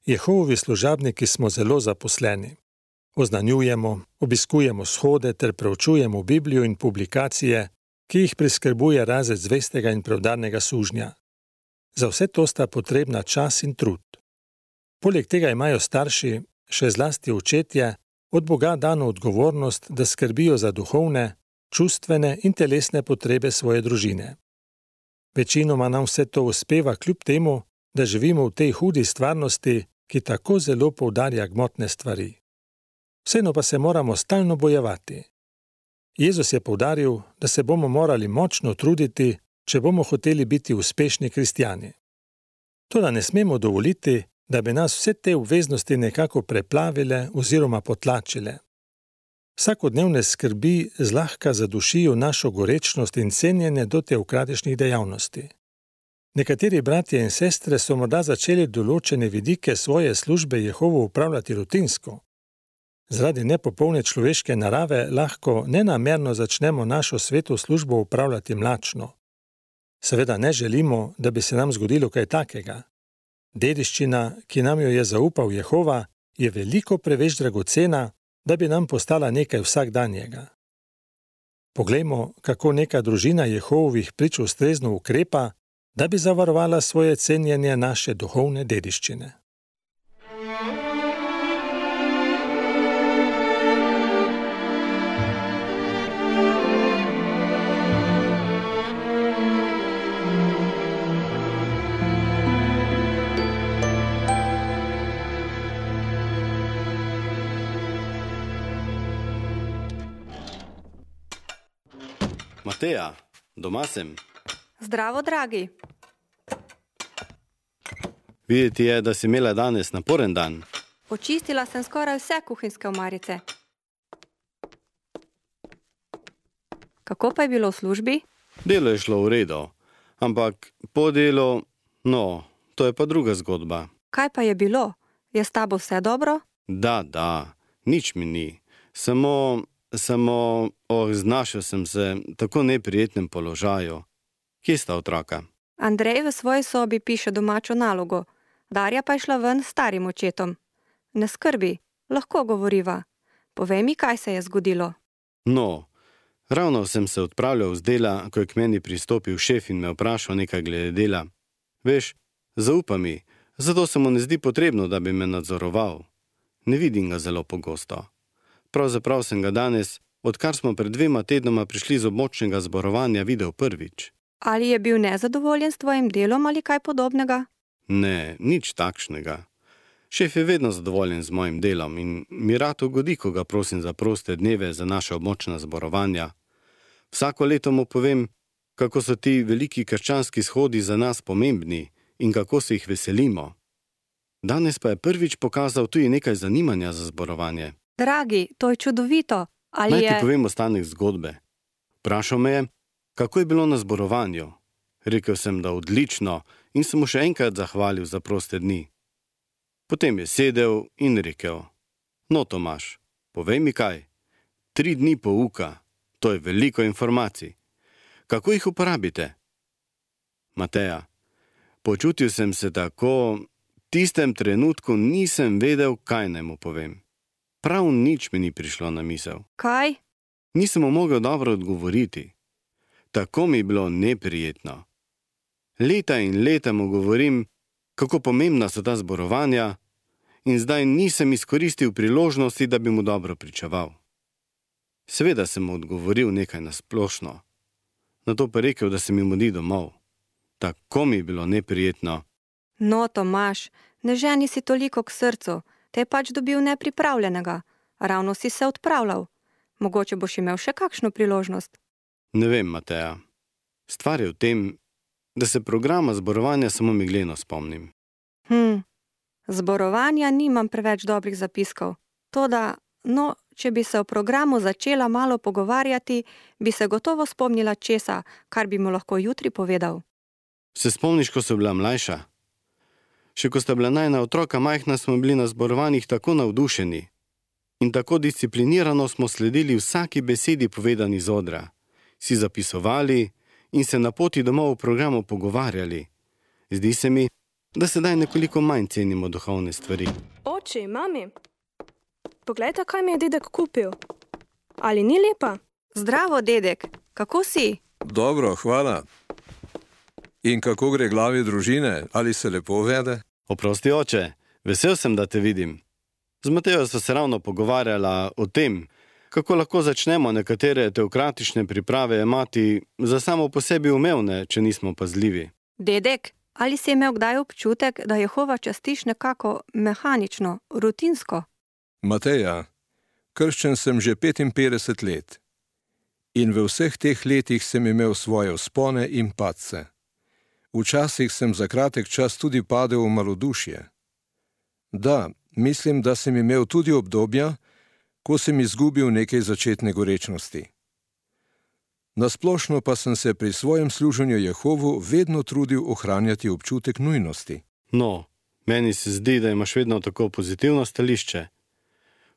Jehovovi služabniki smo zelo zaposleni. Oznanjujemo, obiskujemo shode ter preučujemo Biblijo in publikacije, ki jih priskrbuje razred zvestega in preudarnega sužnja. Za vse to sta potrebna čas in trud. Poleg tega imajo starši, še zlasti očetje, od Boga dano odgovornost, da skrbijo za duhovne, čustvene in telesne potrebe svoje družine. Večinoma nam vse to uspeva kljub temu, da živimo v tej hudi stvarnosti, ki tako zelo poudarja gmotne stvari. Vseeno pa se moramo stalno bojevati. Jezus je poudaril, da se bomo morali močno truditi, če bomo hoteli biti uspešni kristjani. Toda ne smemo dovoliti, da bi nas vse te obveznosti nekako preplavile oziroma potlačile. Vsakodnevne skrbi zlahka zadušijo našo gorečnost in cenjenje do teokratičnih dejavnosti. Nekateri bratje in sestre so morda začeli določene vidike svoje službe Jehovu upravljati rutinsko. Zaradi nepopolne človeške narave lahko nenamerno začnemo našo sveto službo upravljati mlačno. Seveda ne želimo, da bi se nam zgodilo kaj takega. Dediščina, ki nam jo je zaupal Jehova, je veliko preveč dragocena, da bi nam postala nekaj vsakdanjega. Poglejmo, kako neka družina Jehovovih prič ustrezno ukrepa, da bi zavarovala svoje cenjenje naše duhovne dediščine. Mateja, doma sem. Zdravo, dragi. Videti je, da si imela danes naporen dan. Počistila sem skoraj vse kuhinjske omarice. Kako pa je bilo v službi? Delo je šlo v redu, ampak po delu, to je pa druga zgodba. Kaj pa je bilo? Je s tabo vse dobro? Da, nič mi ni. Samo, znašel sem se v tako neprijetnem položaju. Kje sta otroka? Andrej v svoji sobi piše domačo nalogo, Darja pa je šla ven s starim očetom. Ne skrbi, lahko govoriva. Povej mi, kaj se je zgodilo. Ravno sem se odpravljal z dela, ko je k meni pristopil šef in me vprašal nekaj glede dela. Veš, zaupa mi, zato se mu ne zdi potrebno, da bi me nadzoroval. Ne vidim ga zelo pogosto. Pravzaprav sem ga danes, odkar smo pred 2 tednoma prišli z območnega zborovanja, videl prvič. Ali je bil nezadovoljen s tvojim delom ali kaj podobnega? Ne, nič takšnega. Šef je vedno zadovoljen z mojim delom in mi rad ugodi, ko ga prosim za proste dneve za naše območna zborovanja. Vsako leto mu povem, kako so ti veliki krščanski shodi za nas pomembni in kako se jih veselimo. Danes pa je prvič pokazal tudi nekaj zanimanja za zborovanje. Dragi, to je čudovito. Naj ti povem ostanek zgodbe. Vprašal me je, kako je bilo na zborovanju. Rekel sem, da odlično in sem mu še enkrat zahvalil za proste dni. Potem je sedel in rekel, Tomaž, povej mi kaj, 3 dni pouka, to je veliko informacij. Kako jih uporabite? Mateja, počutil sem se tako, v tistem trenutku nisem vedel, kaj naj mu povem. Prav nič mi ni prišlo na misel. Kaj? Nisem mu mogel dobro odgovoriti. Tako mi je bilo neprijetno. Leta in leta mu govorim, kako pomembna so ta zborovanja, in zdaj nisem izkoristil priložnosti, da bi mu dobro pričeval. Seveda sem mu odgovoril nekaj na splošno, nato pa rekel, da se mi mudi domov. Tako mi je bilo neprijetno. Tomaž, ne ženi si toliko k srcu, te je pač dobil nepripravljenega, ravno si se odpravljal. Mogoče boš imel še kakšno priložnost. Ne vem, Mateja. Stvar je v tem, da se programa zborovanja samo megleno spomnim. Zborovanja nimam preveč dobrih zapiskov. Toda, če bi se o programu začela malo pogovarjati, bi se gotovo spomnila česa, kar bi mu lahko jutri povedal. Se spomniš, ko so bila mlajša? Še ko sta bila najina otroka majhna, smo bili na zborovanjih tako navdušeni in tako disciplinirano smo sledili vsaki besedi povedani z odra. Si zapisovali in se na poti domov v programu pogovarjali. Zdi se mi, da sedaj nekoliko manj cenimo duhovne stvari. Oči, mami, poglejte, kaj mi je dedek kupil. Ali ni lepa? Zdravo, dedek, kako si? Dobro, hvala. In kako gre glavi družine? Ali se lepo vede? Oprosti, oče, vesel sem, da te vidim. Z Matejo sva se ravno pogovarjala o tem, kako lahko začnemo nekatere teokratične priprave jemati za samo po sebi umevne, če nismo pazljivi. Dedek, ali si imel kdaj občutek, da Jehova častiš nekako mehanično, rutinsko? Mateja, krščen sem že 55 let. In v vseh teh letih sem imel svoje vzpone in padce. Včasih sem za kratek čas tudi padel v malodušje. Da, mislim, da sem imel tudi obdobja, ko sem izgubil nekaj začetne gorečnosti. Nasplošno pa sem se pri svojem služenju Jehovu vedno trudil ohranjati občutek nujnosti. No, meni se zdi, da imaš vedno tako pozitivno stališče.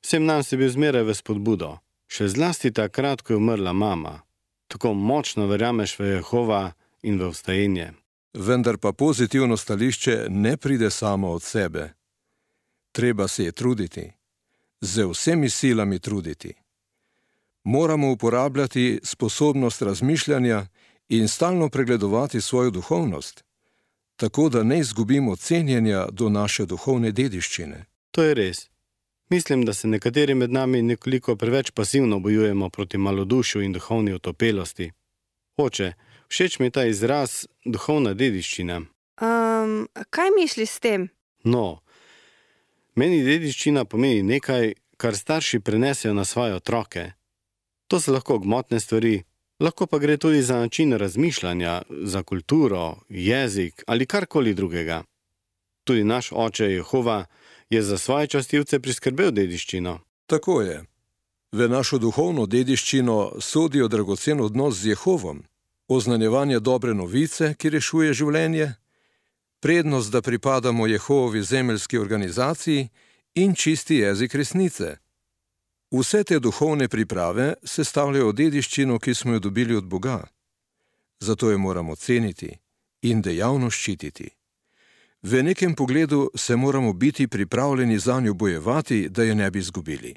Vsem nam si bil zmeraj v spodbudo. Še zlasti takrat, ko je umrla mama. Tako močno verjameš v Jehova in v vstajenje. Vendar pa pozitivno stališče ne pride samo od sebe. Treba se je truditi. Z vsemi silami truditi. Moramo uporabljati sposobnost razmišljanja in stalno pregledovati svojo duhovnost, tako da ne izgubimo cenjenja do naše duhovne dediščine. To je res. Mislim, da se nekateri med nami nekoliko preveč pasivno bojujemo proti malodušju in duhovni otopelosti. Oče, všeč mi je ta izraz duhovna dediščina. Kaj misliš s tem? No, meni dediščina pomeni nekaj, kar starši prenesejo na svoje otroke. To so lahko gmotne stvari, lahko pa gre tudi za način razmišljanja, za kulturo, jezik ali karkoli drugega. Tudi naš oče Jehova je za svoje častilce priskrbel dediščino. Tako je. V našo duhovno dediščino sodijo dragocen odnos z Jehovom, oznanjevanje dobre novice, ki rešuje življenje, prednost, da pripadamo Jehovovi zemeljski organizaciji in čisti jezik resnice. Vse te duhovne priprave sestavljajo dediščino, ki smo jo dobili od Boga. Zato jo moramo ceniti in dejavno ščititi. V nekem pogledu se moramo biti pripravljeni zanjo bojevati, da je ne bi izgubili.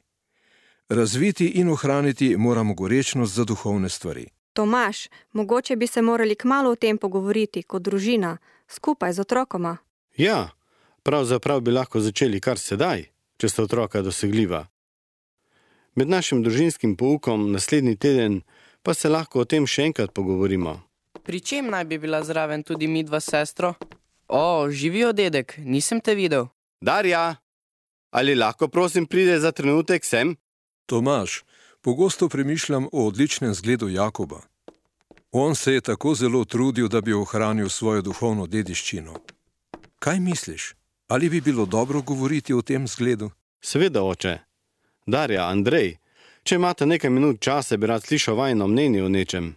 Razviti in ohraniti moramo gorečnost za duhovne stvari. Tomaž, mogoče bi se morali kmalu o tem pogovoriti kot družina, skupaj z otrokoma. Ja, pravzaprav bi lahko začeli kar sedaj, če sta otroka dosegljiva. Med našim družinskim poukom naslednji teden pa se lahko o tem še enkrat pogovorimo. Pri čem naj bi bila zraven tudi midva s sestro? Živijo, dedek, nisem te videl. Darja, ali lahko prosim pride za trenutek sem? Tomaž, pogosto premišljam o odličnem zgledu Jakoba. On se je tako zelo trudil, da bi ohranil svojo duhovno dediščino. Kaj misliš? Ali bi bilo dobro govoriti o tem zgledu? Seveda, oče. Darja, Andrej, če imate nekaj minut časa, bi rad slišal vajino mnenje o nečem.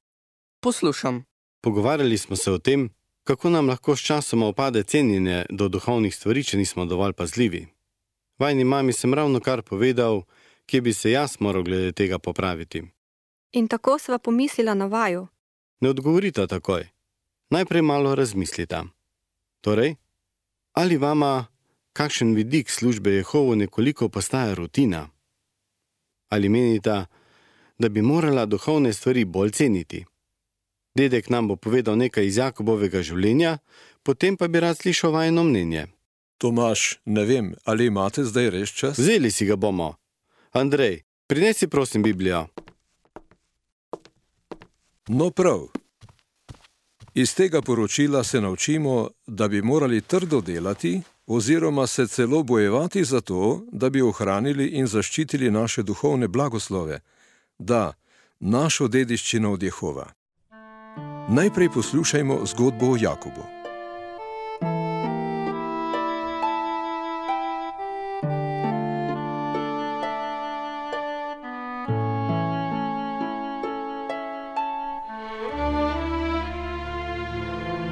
Poslušam. Pogovarjali smo se o tem, kako nam lahko s časoma opade cenjenje do duhovnih stvari, če nismo dovolj pazljivi. Vajni mami sem ravno kar povedal, kje bi se jaz moral glede tega popraviti. In tako sva pomislila na vaju. Ne odgovorita takoj. Najprej malo razmislita. Torej, ali vama kakšen vidik službe Jehovu nekoliko postaja rutina? Ali menita, da bi morala duhovne stvari bolj ceniti? Dedek nam bo povedal nekaj iz Jakobovega življenja, potem pa bi rad slišal vajino mnenje. Tomaž, ne vem, ali imate zdaj res čas? Vzeli si ga bomo. Andrej, prinesi prosim Biblijo. No prav. Iz tega poročila se naučimo, da bi morali trdo delati oziroma se celo bojevati za to, da bi ohranili in zaščitili naše duhovne blagoslove, da, našo dediščino od Jehova. Najprej poslušajmo zgodbo o Jakobu.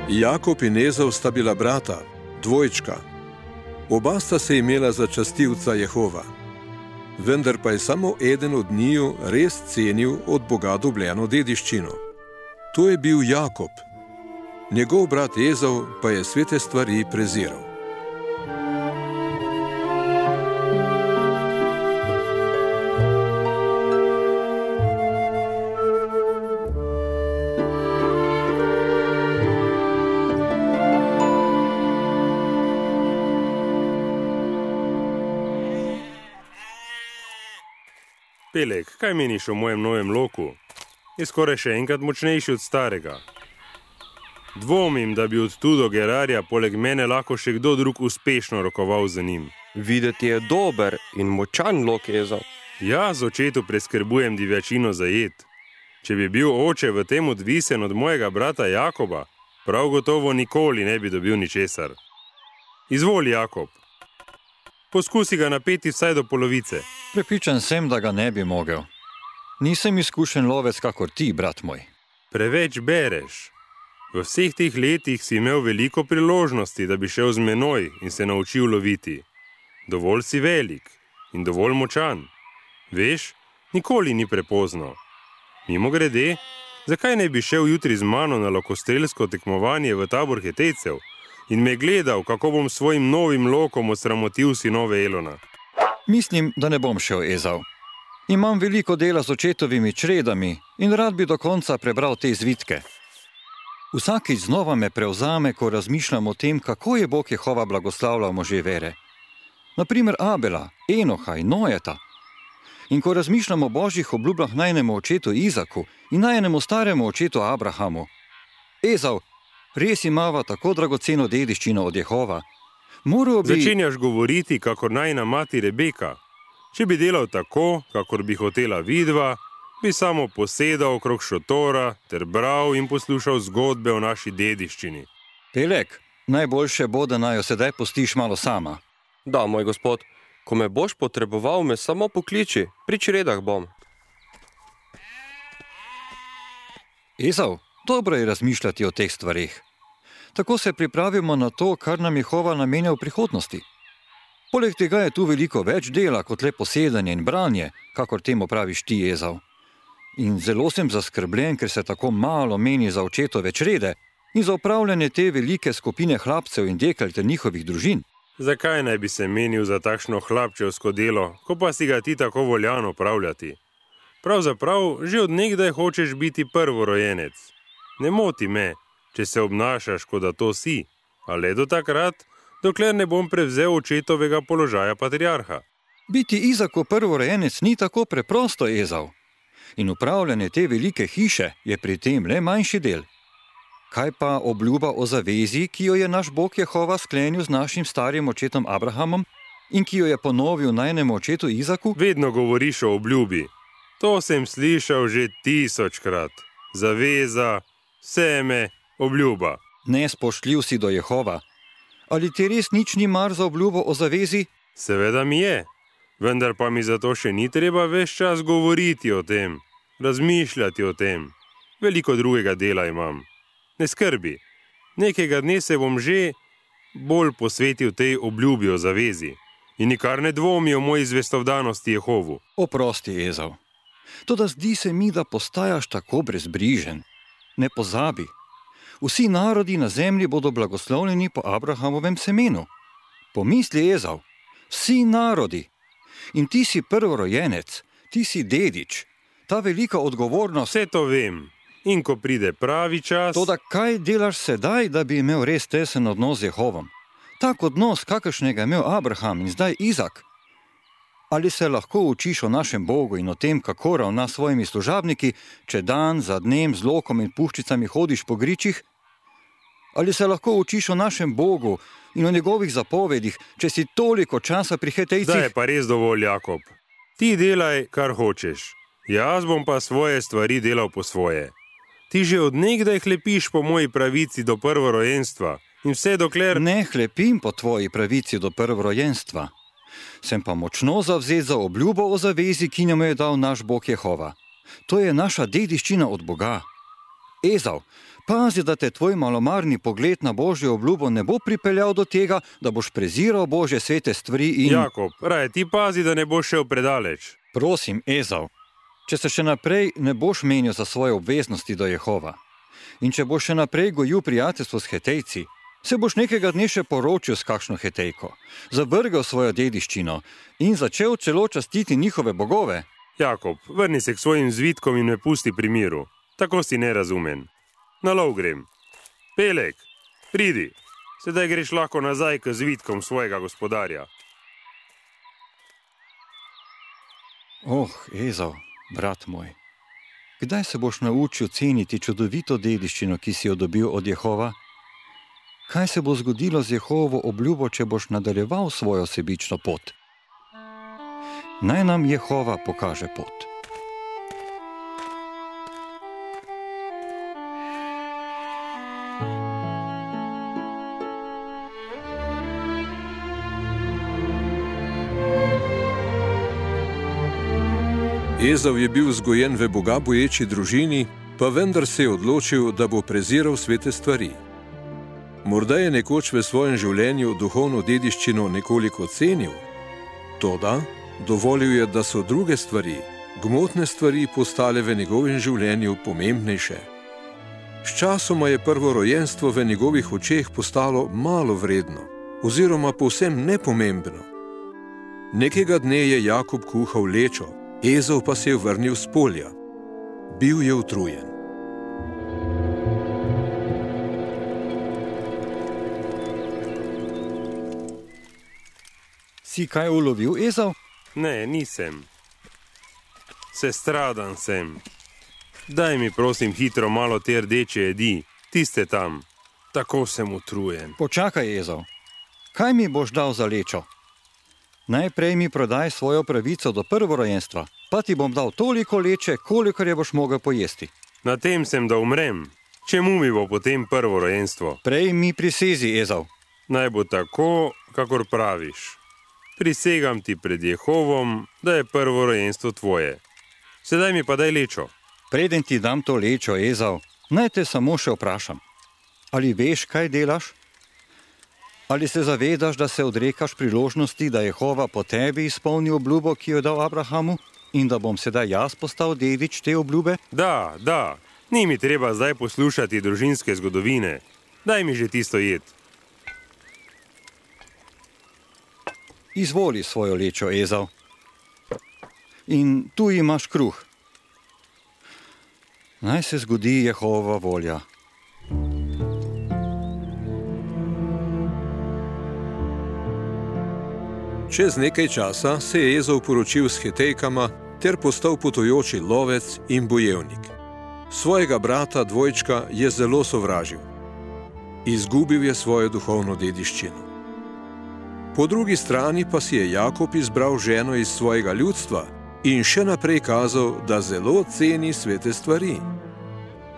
Jakob in Ezau sta bila brata, dvojčka. Oba sta se imela za častilca Jehova. Vendar pa je samo eden od njiju res cenil od Boga dobljeno dediščino. To je bil Jakob. njegov brat Ezau pa je svete stvari preziral. Pelek, kaj meniš o mojem novem loku? Je skoraj še enkrat močnejši od starega. Dvomim, da bi od tu do Gerarja poleg mene lahko še kdo drug uspešno rokoval za njim. Videti je dober in močan lok, Ezau. Jaz očetu preskrbujem divjačino za jed. Če bi bil oče v tem odvisen od mojega brata Jakoba, prav gotovo nikoli ne bi dobil ničesar. Izvoli, Jakob. Poskusi ga napeti vsaj do polovice. Prepričan sem, da ga ne bi mogel. Nisem izkušen lovec kakor ti, brat moj. Preveč bereš. V vseh teh letih si imel veliko priložnosti, da bi šel z menoj in se naučil loviti. Dovolj si velik in dovolj močan. Veš, nikoli ni prepozno. Mimogrede, zakaj ne bi šel jutri z mano na lokostrelsko tekmovanje v tabor Hetejcev in me gledal, kako bom s svojim novim lokom osramotil sinove Elona? Mislim, da ne bom šel, Ezau. Imam veliko dela z očetovimi čredami in rad bi do konca prebral te zvitke. Vsakič znova me prevzame, ko razmišljam o tem, kako je Bog Jehova blagoslavljal može vere. Naprimer Abela, Enoha in Nojeta. In ko razmišljam o božjih obljubah najnemu očetu Izaku in najnemu staremu očetu Abrahamu. Ezau, res imava tako dragoceno dediščino od Jehova. Začenjaš govoriti, kakor najina mati Rebeka. Če bi delal tako, kakor bi hotela vidva, bi samo posedal okrog šotora ter bral in poslušal zgodbe o naši dediščini. Pelek, najboljše bo, da naj jo sedaj pustiš malo sama. Da, moj gospod, ko me boš potreboval, me samo pokliči, pri čredah bom. Ezau, dobro je razmišljati o teh stvarih. Tako se pripravimo na to, kar nam Jehova namenja v prihodnosti. Poleg tega je tu veliko več dela kot le posedanje in branje, kakor temu praviš ti, Ezau. In zelo sem zaskrbljen, ker se tako malo meni za očetove črede in za upravljanje te velike skupine hlapcev in dekel ter njihovih družin. Zakaj naj bi se menil za takšno hlapčevsko delo, ko pa si ga ti tako voljan opravljati? Pravzaprav, že od nekdaj hočeš biti prvorojenec. Ne moti me, če se obnašaš, kot da to si, a le do takrat, dokler ne bom prevzel očetovega položaja patriarha. Biti Izakov prvorojenec ni tako preprosto, Ezau. In upravljanje te velike hiše je pri tem le manjši del. Kaj pa obljuba o zavezi, ki jo je naš Bog Jehova sklenil z našim starim očetom Abrahamom in ki jo je ponovil najnemu očetu Izaku? Vedno govoriš o obljubi. To sem slišal že 1000-krat. Zaveza, seme, obljuba. Nespoštljiv si do Jehova. Ali ti res nič ni mar za obljubo o zavezi? Seveda mi je, vendar pa mi zato še ni treba ves čas govoriti o tem, razmišljati o tem. Veliko drugega dela imam. Ne skrbi, nekega dne se bom že bolj posvetil tej obljubi o zavezi in nikar ne dvomi o moji zvestovdanosti Jehovu. Oprosti, Ezau. Toda zdi se mi, da postajaš tako brezbrižen. Ne pozabi. Vsi narodi na zemlji bodo blagoslovljeni po Abrahamovem semenu. Pomisli, Ezau, vsi narodi. In ti si prvorojenec, ti si dedič. Ta velika odgovornost... Vse to vem. In ko pride pravi čas... Toda kaj delaš sedaj, da bi imel res tesen odnos z Jehovom? Tak odnos, kakršnega je imel Abraham in zdaj Izak. Ali se lahko učiš o našem Bogu in o tem, kako ravna s svojimi služabniki, če dan za dnem z lokom in puščicami hodiš po gričih? Ali se lahko učiš o našem Bogu in o njegovih zapovedih, če si toliko časa pri Hetejcih? Zdaj je pa res dovolj, Jakob. Ti delaj, kar hočeš. Jaz bom pa svoje stvari delal po svoje. Ti že od nekdaj hlepiš po moji pravici do prvorojenstva in vse dokler... Ne hlepim po tvoji pravici do prvorojenstva. Sem pa močno zavzet za obljubo o zavezi, ki nam je dal naš Bog Jehova. To je naša dediščina od Boga. Ezau, pazi, da te tvoj malomarni pogled na Božjo obljubo ne bo pripeljal do tega, da boš preziral Božje svete stvari in... Jakob, raje ti pazi, da ne boš šel predaleč. Prosim, Ezau, če se še naprej ne boš menil za svoje obveznosti do Jehova, In če boš še naprej gojil prijateljstvo s Hetejci, se boš nekega dne še poročil s kakšno Hetejko, zavrgel svojo dediščino in začel celo častiti njihove bogove. Jakob, vrni se k svojim zvitkom in me pusti pri miru. Tako si nerazumen. Na lov grem. Peleg, pridi. Sedaj greš lahko nazaj k zvitkom svojega gospodarja. Ezau, brat moj, kdaj se boš naučil ceniti čudovito dediščino, ki si jo dobil od Jehova? Kaj se bo zgodilo z Jehovo obljubo, če boš nadaljeval svojo sebično pot? Naj nam Jehova pokaže pot. Ezau je bil vzgojen v Boga boječi družini, pa vendar se je odločil, da bo preziral svete stvari. Morda je nekoč v svojem življenju duhovno dediščino nekoliko cenil, toda dovolil je, da so druge stvari, gmotne stvari, postale v njegovem življenju pomembnejše. Sčasoma je prvorojenstvo v njegovih očeh postalo malo vredno, oziroma povsem nepomembno. Nekega dne je Jakob kuhal lečo, Ezau pa se je vrnil s polja. Bil je utrujen. Si kaj ulovil, Ezau? Ne, nisem. Sestradan sem. Daj mi prosim hitro malo te rdeče jedi, tiste tam. Tako sem utrujen. Počakaj, Ezau. Kaj mi boš dal za lečo? Najprej mi prodaj svojo pravico do prvorojenstva, pa ti bom dal toliko leče, kolikor je boš mogel pojesti. Na tem sem, da umrem. Čemu mi bo potem prvorojenstvo? Prej mi prisezi, Ezau. Naj bo tako, kakor praviš. Prisegam ti pred Jehovom, da je prvorojenstvo tvoje. Sedaj mi pa daj lečo. Preden ti dam to lečo, Ezau, naj te samo še vprašam. Ali veš, kaj delaš? Ali se zavedaš, da se odrekaš priložnosti, da Jehova po tebi izpolni obljubo, ki jo je dal Abrahamu, in da bom sedaj jaz postal dedič te obljube? Da. Ni mi treba zdaj poslušati družinske zgodovine. Daj mi že tisto jed. Izvoli svojo lečo, Ezau. In tu imaš kruh. Naj se zgodi Jehova volja. Čez nekaj časa se je Ezau poročil s Hetejkama ter postal potujoči lovec in bojevnik. Svojega brata dvojčka je zelo sovražil. Izgubil je svojo duhovno dediščino. Po drugi strani pa si je Jakob izbral ženo iz svojega ljudstva in še naprej kazal, da zelo ceni svete stvari.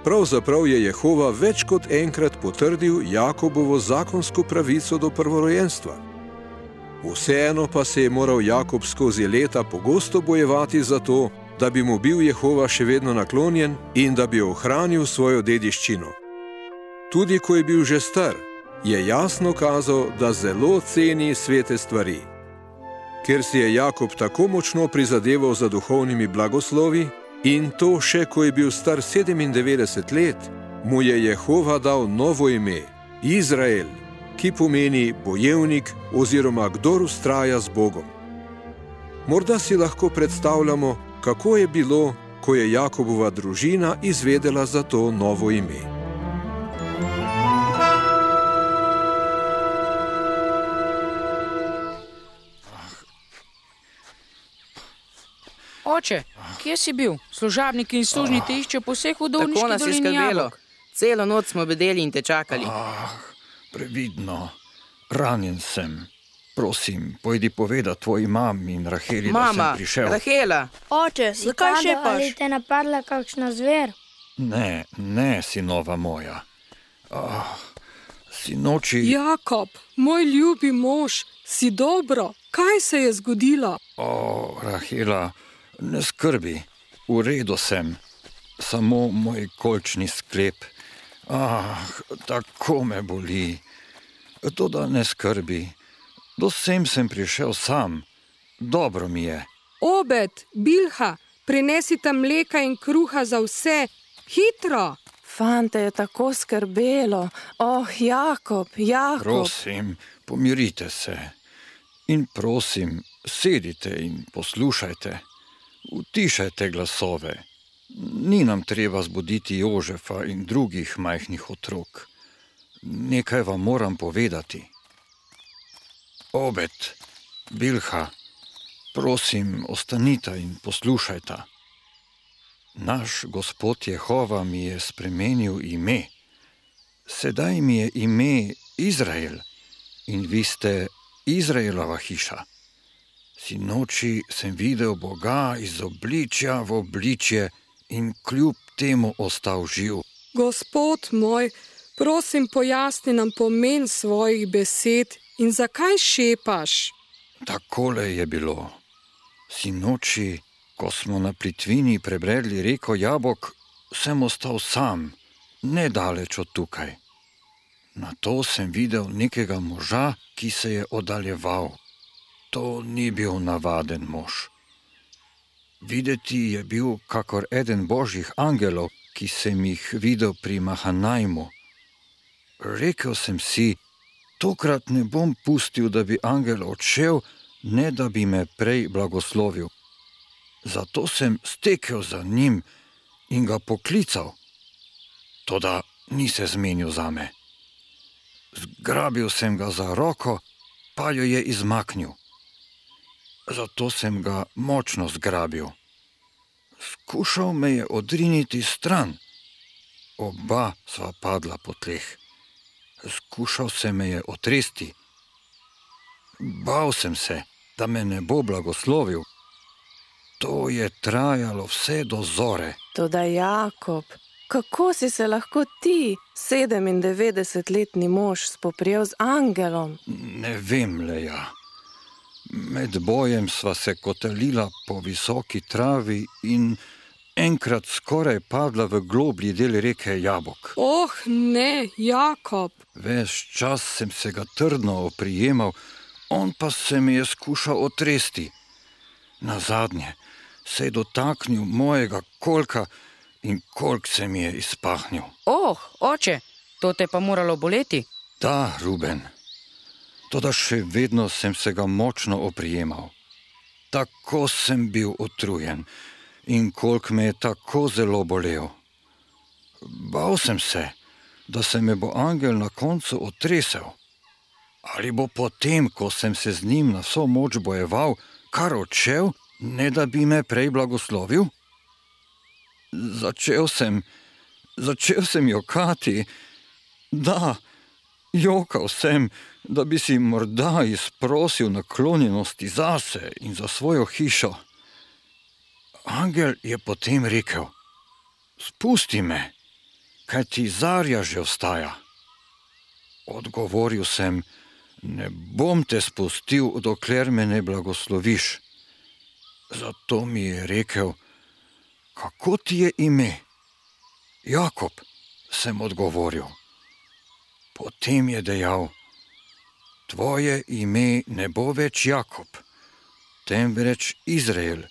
Pravzaprav je Jehova več kot enkrat potrdil Jakobovo zakonsko pravico do prvorojenstva. Vseeno pa se je moral Jakob skozi leta pogosto bojevati za to, da bi mu bil Jehova še vedno naklonjen in da bi ohranil svojo dediščino. Tudi ko je bil že star, je jasno kazal, da zelo ceni svete stvari. Ker si je Jakob tako močno prizadeval za duhovnimi blagoslovi in to še ko je bil star 97 let, mu je Jehova dal novo ime, Izrael, ki pomeni bojevnik oziroma kdor vztraja z Bogom. Morda si lahko predstavljamo, kako je bilo, ko je Jakobova družina izvedela za to novo ime. Oče, kje si bil? Služabniki in služni te iščejo po vseh udovniških dolini jabolk. Celo noč smo bedeli in te čakali. Previdno, ranjen sem. Prosim, pojdi povedati tvoji mami in Raheli, da sem prišel. Mama, Rahela! Oče, zakaj šepaš? Ali te napadla kakšna zver? Ne, sinova moja. Sinoči... Jakob, moj ljubi mož, si dobro? Kaj se je zgodilo? Rahela, ne skrbi, v redu sem. Samo moj kolčni sklep. Tako me boli. Toda ne skrbi. Do sem prišel sam. Dobro mi je. Obed, Bilha, prinesite mleka in kruha za vse. Hitro! Fante je tako skrbelo. Jakob. Prosim, pomirite se. In prosim, sedite in poslušajte. Utišajte glasove. Ni nam treba zbuditi Jožefa in drugih majhnih otrok. Nekaj vam moram povedati. Obed, Bilha, prosim, ostanita in poslušajta. Naš Gospod Jehova mi je spremenil ime. Sedaj mi je ime Izrael in vi ste Izraelova hiša. Sinoči sem videl Boga iz obličja v obličje in kljub temu ostal živ. Gospod moj, prosim, pojasni nam pomen svojih besed in zakaj šepaš? Takole je bilo. Sinoči, ko smo na plitvini prebredli reko Jabok, sem ostal sam, nedaleč od tukaj. Nato sem videl nekega moža, ki se je oddaljeval. To ni bil navaden mož. Videti je bil kakor eden božjih angelov, ki sem jih videl pri Mahanajmu. Rekel sem si, tokrat ne bom pustil, da bi angel odšel, ne da bi me prej blagoslovil. Zato sem stekel za njim in ga poklical. Toda ni se zmenil zame. Zgrabil sem ga za roko, pa jo je izmaknil. Zato sem ga močno zgrabil. Skušal me je odriniti stran. Oba sva padla po tleh. Skušal se me je otresti. Bal sem se, da me ne bo blagoslovil. To je trajalo vse do zore. Toda Jakob, kako si se lahko ti, 97-letni mož, spoprijel z angelom? Ne vem, Leja. Med bojem sva se kotalila po visoki travi in enkrat skoraj padla v globlji del reke Jabok. Ne, Jakob. Ves čas sem se ga trdno oprijemal, on pa se mi je skušal otresti. Nazadnje se je dotaknil mojega kolka in kolk se mi je izpahnil. Oče, to te pa moralo boleti? Da, Ruben. Toda še vedno sem se ga močno oprijemal. Tako sem bil utrujen in kolk me je tako zelo bolel. Bal sem se, da se me bo angel na koncu otresel. Ali bo potem, ko sem se z njim na vso moč bojeval, kar odšel, ne da bi me prej blagoslovil? Začel sem jokati. Da, jokal sem, da bi si morda izprosil naklonjenosti zase in za svojo hišo. Angel je potem rekel: spusti me, kaj ti zarja že vstaja. Odgovoril sem: ne bom te spustil, dokler me ne blagosloviš. Zato mi je rekel: kako ti je ime? Jakob, sem odgovoril. Potem je dejal: tvoje ime ne bo več Jakob, temveč Izrael,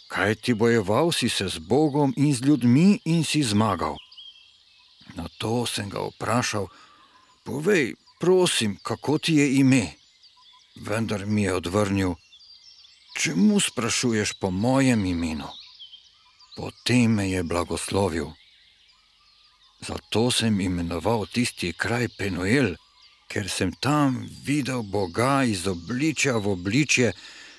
kajti bojeval si se z Bogom in z ljudmi in si zmagal. Nato sem ga vprašal: povej, prosim, kako ti je ime? Vendar mi je odvrnil: čemu sprašuješ po mojem imenu? Potem me je blagoslovil. Zato sem imenoval tisti kraj Penuel, ker sem tam videl Boga iz obličja v obličje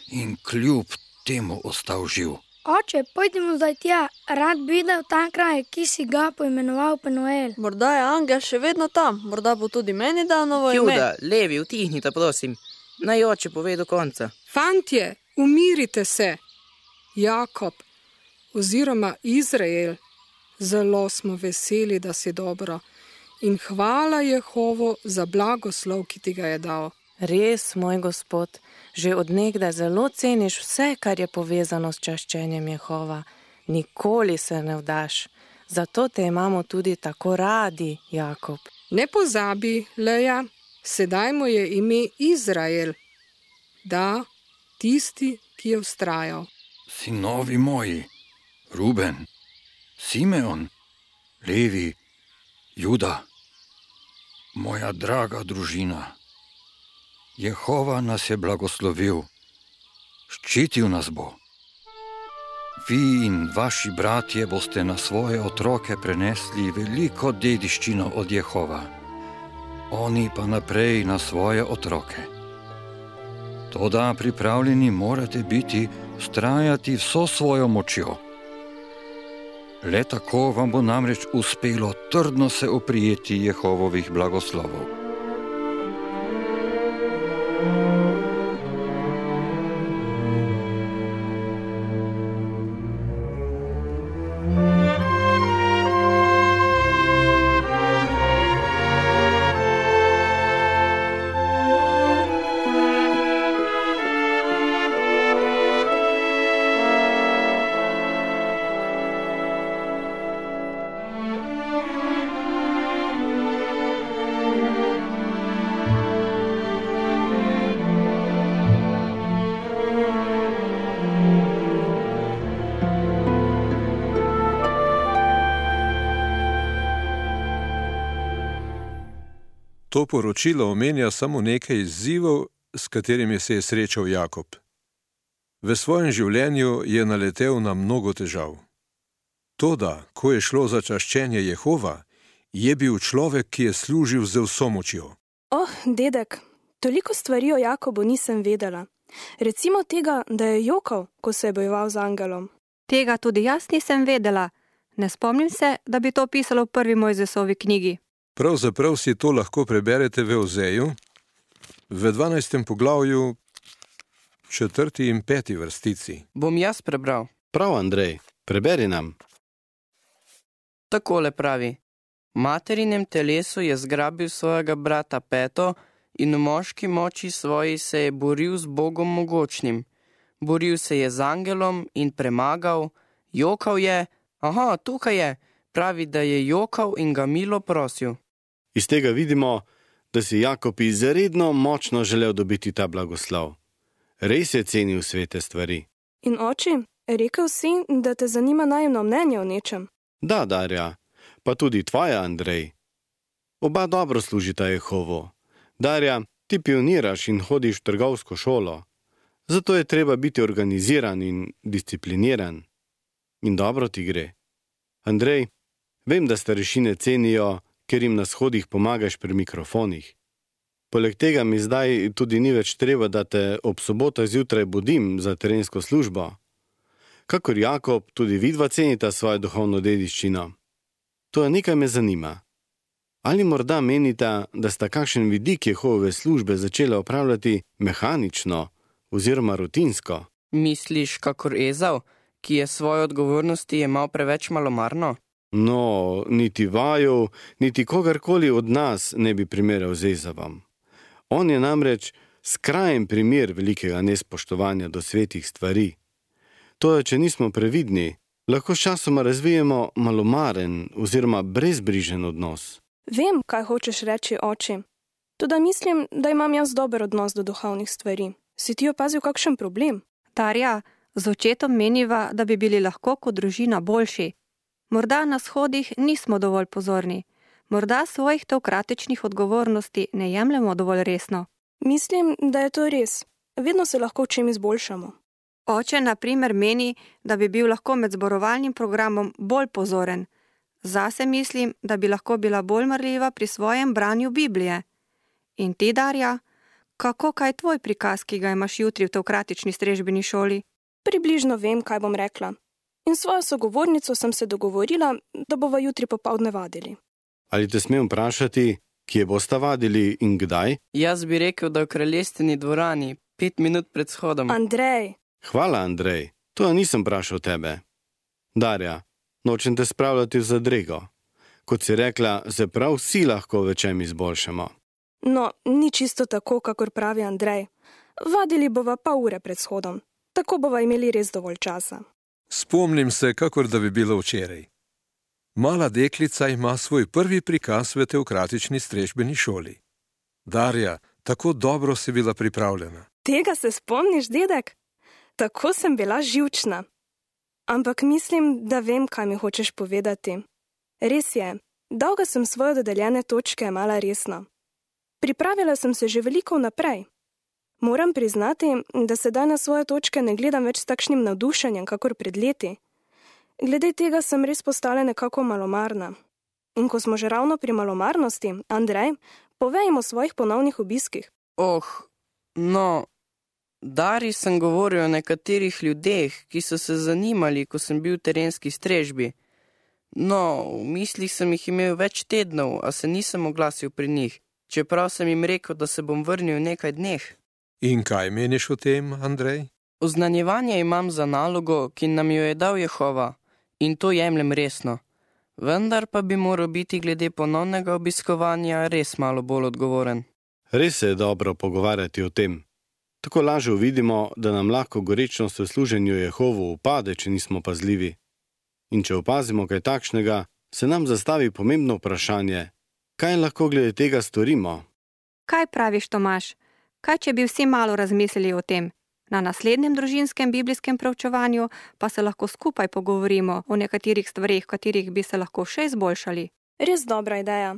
in kljub temu ostal živ. Oče, pojdimo zdaj tja, rad bi videl ta kraj, ki si ga poimenoval Penuel. Morda je angel še vedno tam, morda bo tudi meni dal novo ime. Juda, Levi, utihnite, prosim. Naj oče pove do konca. Fantje, umirite se. Jakob oziroma Izrael, zelo smo veseli, da si dobro. In hvala Jehovu za blagoslov, ki ti ga je dal. Res, moj Gospod, že od nekdaj zelo ceniš vse, kar je povezano s čaščenjem Jehova. Nikoli se ne vdaš. Zato te imamo tudi tako radi, Jakob. Ne pozabi, Leja, sedaj mu je ime Izrael. Da, tisti, ki je vztrajal. Sinovi moji, Ruben, Simeon, Levi, Juda, moja draga družina, Jehova nas je blagoslovil, ščitil nas bo. Vi in vaši bratje boste na svoje otroke prenesli veliko dediščino od Jehova, oni pa naprej na svoje otroke. Toda pripravljeni morate biti vztrajati vso svojo močjo. Le tako vam bo namreč uspelo trdno se oprijeti Jehovovih blagoslovov. To poročilo omenja samo nekaj izzivov, s katerimi se je srečal Jakob. V svojem življenju je naletel na mnogo težav. Toda, ko je šlo za čaščenje Jehova, je bil človek, ki je služil z vso močjo. Dedek, toliko stvari o Jakobu nisem vedela. Recimo tega, da je jokal, ko se je bojeval z angelom. Tega tudi jaz nisem vedela. Ne spomnim se, da bi to pisalo v prvi Mojzesovi knjigi. Pravzaprav si to lahko preberete v Ozeju, v 12. poglavju, 4. in 5. vrstici. Bom jaz prebral. Prav, Andrej, preberi nam. Takole pravi. Materinem telesu je zgrabil svojega brata Peto in v moški moči svoji se je boril z Bogom mogočnim. Boril se je z angelom in premagal, jokal je, tukaj je, pravi, da je jokal in ga milo prosil. Iz tega vidimo, da si Jakob izredno močno želel dobiti ta blagoslov. Res je cenil svete stvari. In oči, rekel si, da te zanima najemno mnenje o nečem. Da, Darja, pa tudi tvoja, Andrej. Oba dobro služita Jehovu. Darja, ti pioniraš in hodiš v trgovsko šolo. Zato je treba biti organiziran in discipliniran. In dobro ti gre. Andrej, vem, da starešine cenijo, ker jim na shodih pomagaš pri mikrofonih. Poleg tega mi zdaj tudi ni več treba, da te ob sobotah zjutraj budim za terensko službo. Kakor Jakob, tudi vidva cenita svojo duhovno dediščino. To nekaj me zanima. Ali morda menita, da sta kakšen vidik Jehove službe začela opravljati mehanično oziroma rutinsko? Misliš, kakor Ezav, ki je svoje odgovornosti jemal preveč malomarno? No, niti vaju, niti kogarkoli od nas ne bi primerjal z Ezavom. On je namreč skrajen primer velikega nespoštovanja do svetih stvari. To je, če nismo previdni, lahko sčasoma razvijemo malomaren oziroma brezbrižen odnos. Vem, kaj hočeš reči, oči. Toda mislim, da imam jaz dober odnos do duhovnih stvari. Si ti opazil kakšen problem? Darja, z očetom meniva, da bi bili lahko kot družina boljši. Morda na shodih nismo dovolj pozorni. Morda svojih teokratičnih odgovornosti ne jemljemo dovolj resno. Mislim, da je to res. Vedno se lahko v čem izboljšamo. Oče, na primer, meni, da bi bil lahko med zborovalnim programom bolj pozoren. Zase mislim, da bi lahko bila bolj marljiva pri svojem branju Biblije. In ti, Darja, kako kaj tvoj prikaz, ki ga imaš jutri v teokratični strežbeni šoli? Približno vem, kaj bom rekla. In svojo sogovornico sem se dogovorila, da bova jutri popoldne vadili. Ali te smem vprašati, kje bosta vadili in kdaj? Jaz bi rekel, da v kraljestveni dvorani, 5 minut pred shodom. Andrej! Hvala, Andrej. To nisem vprašal tebe. Darja, nočem te spravljati v zadrego. Kot si rekla, se prav vsi lahko v čem izboljšamo. No, ni čisto tako, kakor pravi Andrej. Vadili bova pa ure pred shodom. Tako bova imeli res dovolj časa. Spomnim se, kakor da bi bilo včeraj. Mala deklica ima svoj prvi prikaz v teokratični strežbeni šoli. Darja, tako dobro si bila pripravljena. Tega se spomniš, dedek? Tako sem bila živčna. Ampak mislim, da vem, kaj mi hočeš povedati. Res je, Dolgo sem svoje dodeljene točke jemala resno. Pripravila sem se že veliko vnaprej. Moram priznati, da sedaj na svoje točke ne gledam več s takšnim navdušenjem, kakor pred leti. Glede tega sem res postala nekako malomarna. In ko smo že ravno pri malomarnosti, Andrej, povejmo o svojih ponovnih obiskih. Dari sem govoril o nekaterih ljudeh, ki so se zanimali, ko sem bil v terenski strežbi. V mislih sem jih imel več tednov, a se nisem oglasil pri njih, čeprav sem jim rekel, da se bom vrnil v nekaj dneh. In kaj meniš o tem, Andrej? Oznanjevanje imam za nalogo, ki nam jo je dal Jehova, in to jemljem resno. Vendar pa bi moral biti glede ponovnega obiskovanja res malo bolj odgovoren. Res se je dobro pogovarjati o tem. Tako lažje uvidimo, da nam lahko gorečnost v služenju Jehovu upade, če nismo pazljivi. In če opazimo kaj takšnega, se nam zastavi pomembno vprašanje, kaj lahko glede tega storimo. Kaj praviš, Tomaž? Kaj, če bi vsi malo razmislili o tem? Na naslednjem družinskem biblijskem preučevanju pa se lahko skupaj pogovorimo o nekaterih stvarih, katerih bi se lahko še izboljšali. Res dobra ideja.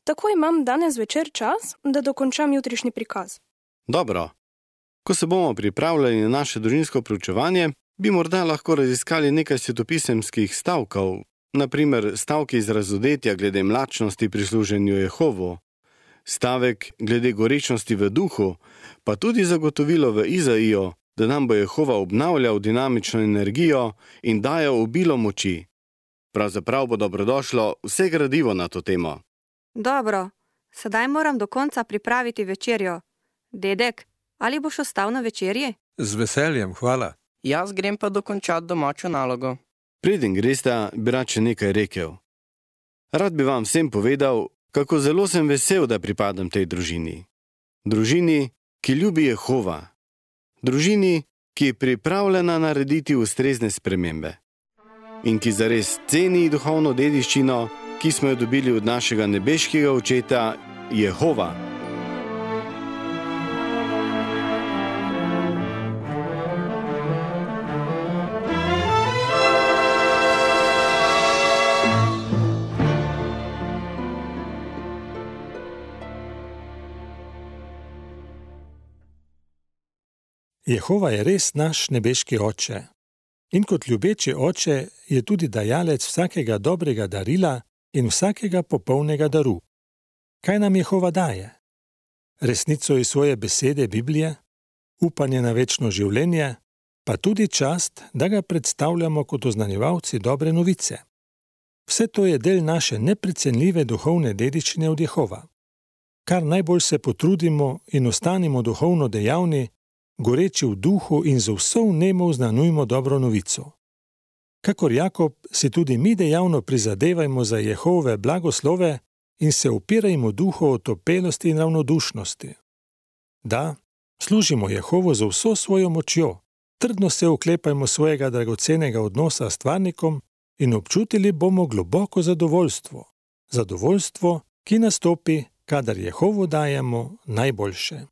Tako imam danes večer čas, da dokončam jutrišnji prikaz. Dobro. Ko se bomo pripravljali na naše družinsko preučevanje, bi morda lahko raziskali nekaj svetopisemskih stavkov, na primer stavki iz razodetja glede mlačnosti pri služenju Jehovu, stavek glede gorečnosti v duhu, pa tudi zagotovilo v Izaiju, da nam bo Jehova obnavljal dinamično energijo in dajal obilo moči. Pravzaprav bo dobrodošlo vse gradivo na to temo. Dobro, sedaj moram do konca pripraviti večerjo. Dedek, ali boš ostal na večerji? Z veseljem, hvala. Jaz grem pa dokončati domačo nalogo. Preden gresta, bi rad še nekaj rekel. Rad bi vam vsem povedal, kako zelo sem vesel, da pripadam tej družini. Družini, ki ljubi Jehova. Družini, ki je pripravljena narediti ustrezne spremembe. In ki zares ceni duhovno dediščino, ki smo jo dobili od našega nebeškega očeta Jehova. Jehova je res naš nebeški oče. In kot ljubeči oče je tudi dajalec vsakega dobrega darila in vsakega popolnega daru. Kaj nam Jehova daje? Resnico iz svoje besede Biblije, upanje na večno življenje, pa tudi čast, da ga predstavljamo kot oznanjevalci dobre novice. Vse to je del naše neprecenljive duhovne dediščine od Jehova. Kar najbolj se potrudimo in ostanimo duhovno dejavni, goreči v duhu in z vso vnemo oznanujmo dobro novico. Kakor Jakob, si tudi mi dejavno prizadevajmo za Jehove blagoslove in se upirajmo duhu otopelosti in ravnodušnosti. Da, služimo Jehovu z vso svojo močjo, trdno se oklepajmo svojega dragocenega odnosa s stvarnikom in občutili bomo globoko zadovoljstvo. Zadovoljstvo, ki nastopi, kadar Jehovu dajemo najboljše.